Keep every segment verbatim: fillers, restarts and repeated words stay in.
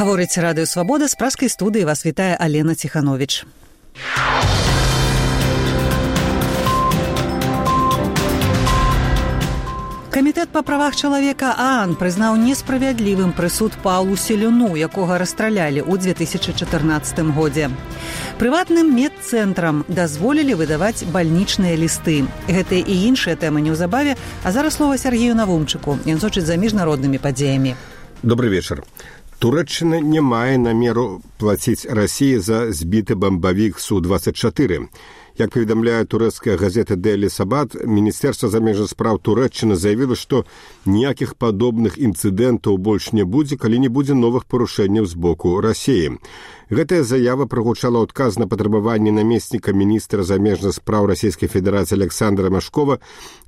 Гаворыць радыё «Свабода», з праскай студыі вас вітае Алена Ціхановіч. Камітэт па правах чалавека ААН прызнаў несправядлівым прысуд Паўлу Селюну, якога расстралялі ў дзве тысячы чатырнаццатым годзе. Прыватным медцэнтрам дазволілі выдаваць бальнічныя лісты. Гэтыя і іншыя тэмы неўзабаве, а зараз слова Сергею Навумчыку. Ён сочыць за міжнароднымі падзеямі. Добрый вечар. Туреччына не мае намеру плаціць Расіі за збіты бамбавік Су двадцять чатыры. Як паведамляе турэцкая газета «Дейли Сабат», Міністэрства замежных спраў Туреччыны заявіла, што ніякіх падобных інцыдэнтаў больш не будзе, калі не будзе новых парушэнняў з боку Расіі. Гэтая заява прагучала адказ на патрабаванне намесніка міністра замежных спраў Расійскай Федэрацыі Александра Машкова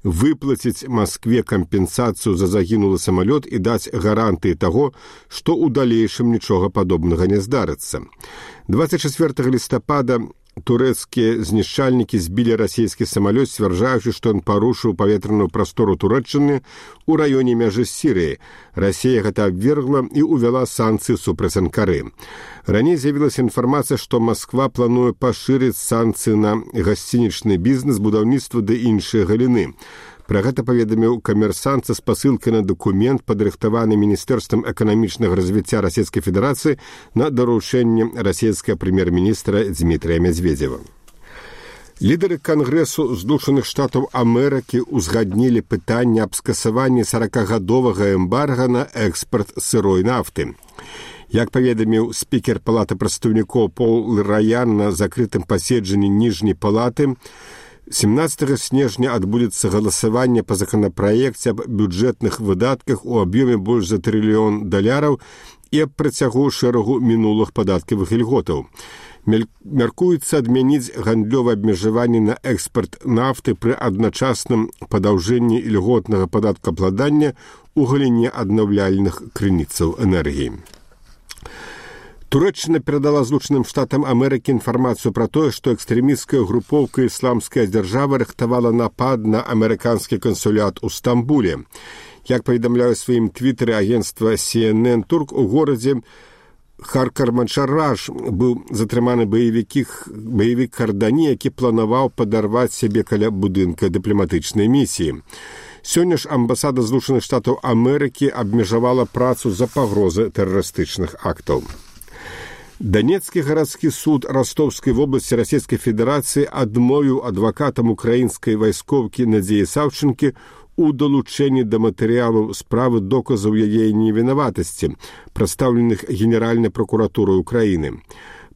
выплаціць Маскве кампенсацыю за загінулы самалёт і даць гарантыі таго, што ў далейшым нічога падобнага не здарыцца. двадцать чацвёртага лістапада турэцкія знішчальнікі збілі расійскі самалёт, сцвярджаючы, што ён парушыў паветраную прастору Туреччыны ў раёне мяжы з Сірыяй. Расія гэта абвергла і ўвяла санкцыі супраць Анкары. Раней з'явілася інфармацыя, што Масква плануе пашырыць санкцыі на гасцінічны бізнес, будаўніцтва ды іншыя галіны. Пра гэта паведаміў камерсант са спасылкай на дакумент, падрыхтаваны Міністэрствам эканамічнага развіцця Расійскай Федэрацыі на даручэнне расійскага прэм'ер-міністра Дмітрія Медведзева. Лідары Кангрэсу Злучаных Штатаў Амерыкі ўзгаднілі пытанне аб скасаванні саракагадовага эмбарга на экспарт сырой нафты. Як паведаміў спікер Палаты прадстаўнікоў Пол Раян на закрытым паседжанні ніжняй палаты, семнадцатага снежня адбудзецца галасаванне па законапраекце аб бюджэтных выдатках у аб'ёме больш за трыльён даляраў і аб працягу шэрагу мінулых падаткавых ільготаў. Мяркуецца адмяніць гандлёвае абмежаванне на экспарт нафты пры адначасным падаўжэнні ільготнага падаткаабкладання ў галіне аднаўляльных крыніцаў энергіі. Турэччына перадала Злучаным Штатам Амерыкі інфармацыю пра тое, што экстрэмісцкая групоўка «Ісламская дзяржава» рыхтавала напад на амерыканскі кансулят у Стамбуле. Як паведамляе ў сваім твітары агенцтва Си Эн Эн Турк, у горадзе Харкарманшараж быў затрыманы баевік Кардані, які планаваў падарваць сябе каля будынка дыпламатычнай місіі. Сёння ж амбасада Злучаных Штатаў Амерыкі абмежавала працу за пагрозы тэрарыстычных актаў. Донецкі гарадскі суд Ростовскай вобласці Расійскай Федэрацыі адмовіў адвакатам украінскай вайскоўкі Надзеі Саўчынкі у далучэнні да матэрыялаў справы доказаў яе невінаватасці, прадстаўленых Генеральнай пракуратурай Украіны.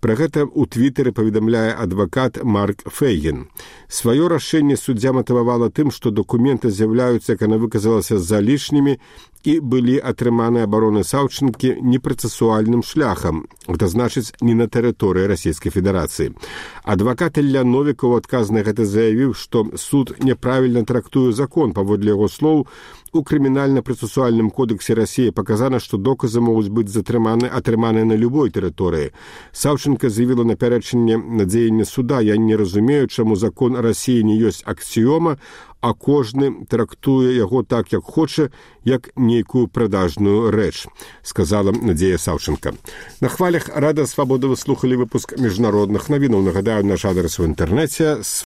Пра гэта ў твітары паведамляе адвакат Марк Фейгін. Сваё рашэнне суддзя матывавала тым, што дакументы з'яўляюцца, як яна выказалася, залішнімі і былі атрыманы абароны Саўчынкі непрацэсуальным шляхам, гэта значыць, не на тэрыторыі Расійскай Федэрацыі. Адвакат Ілля Новікаў у адказ на гэта заявіў, што суд няправільна трактуе закон. Паводле яго слоў, у крымінальна-працэсуальным кодексе Расіі паказана, што доказы могуць быць затрыманы, атрыманы на любой тэрыторыі. Саўчынка заявіла на пярэчанне на дзеянне суда: «Я не разумею, чаму закон Расіі не ёсць аксіёма, а кожны трактуе яго так, як хоча, як нейкую прадажную рэч», сказала Надзея Саўчынка. На хвалях Радыё Свабода вы слухалі выпуск міжнародных навінаў. Нагадаю, наш адрес у інтэрнэце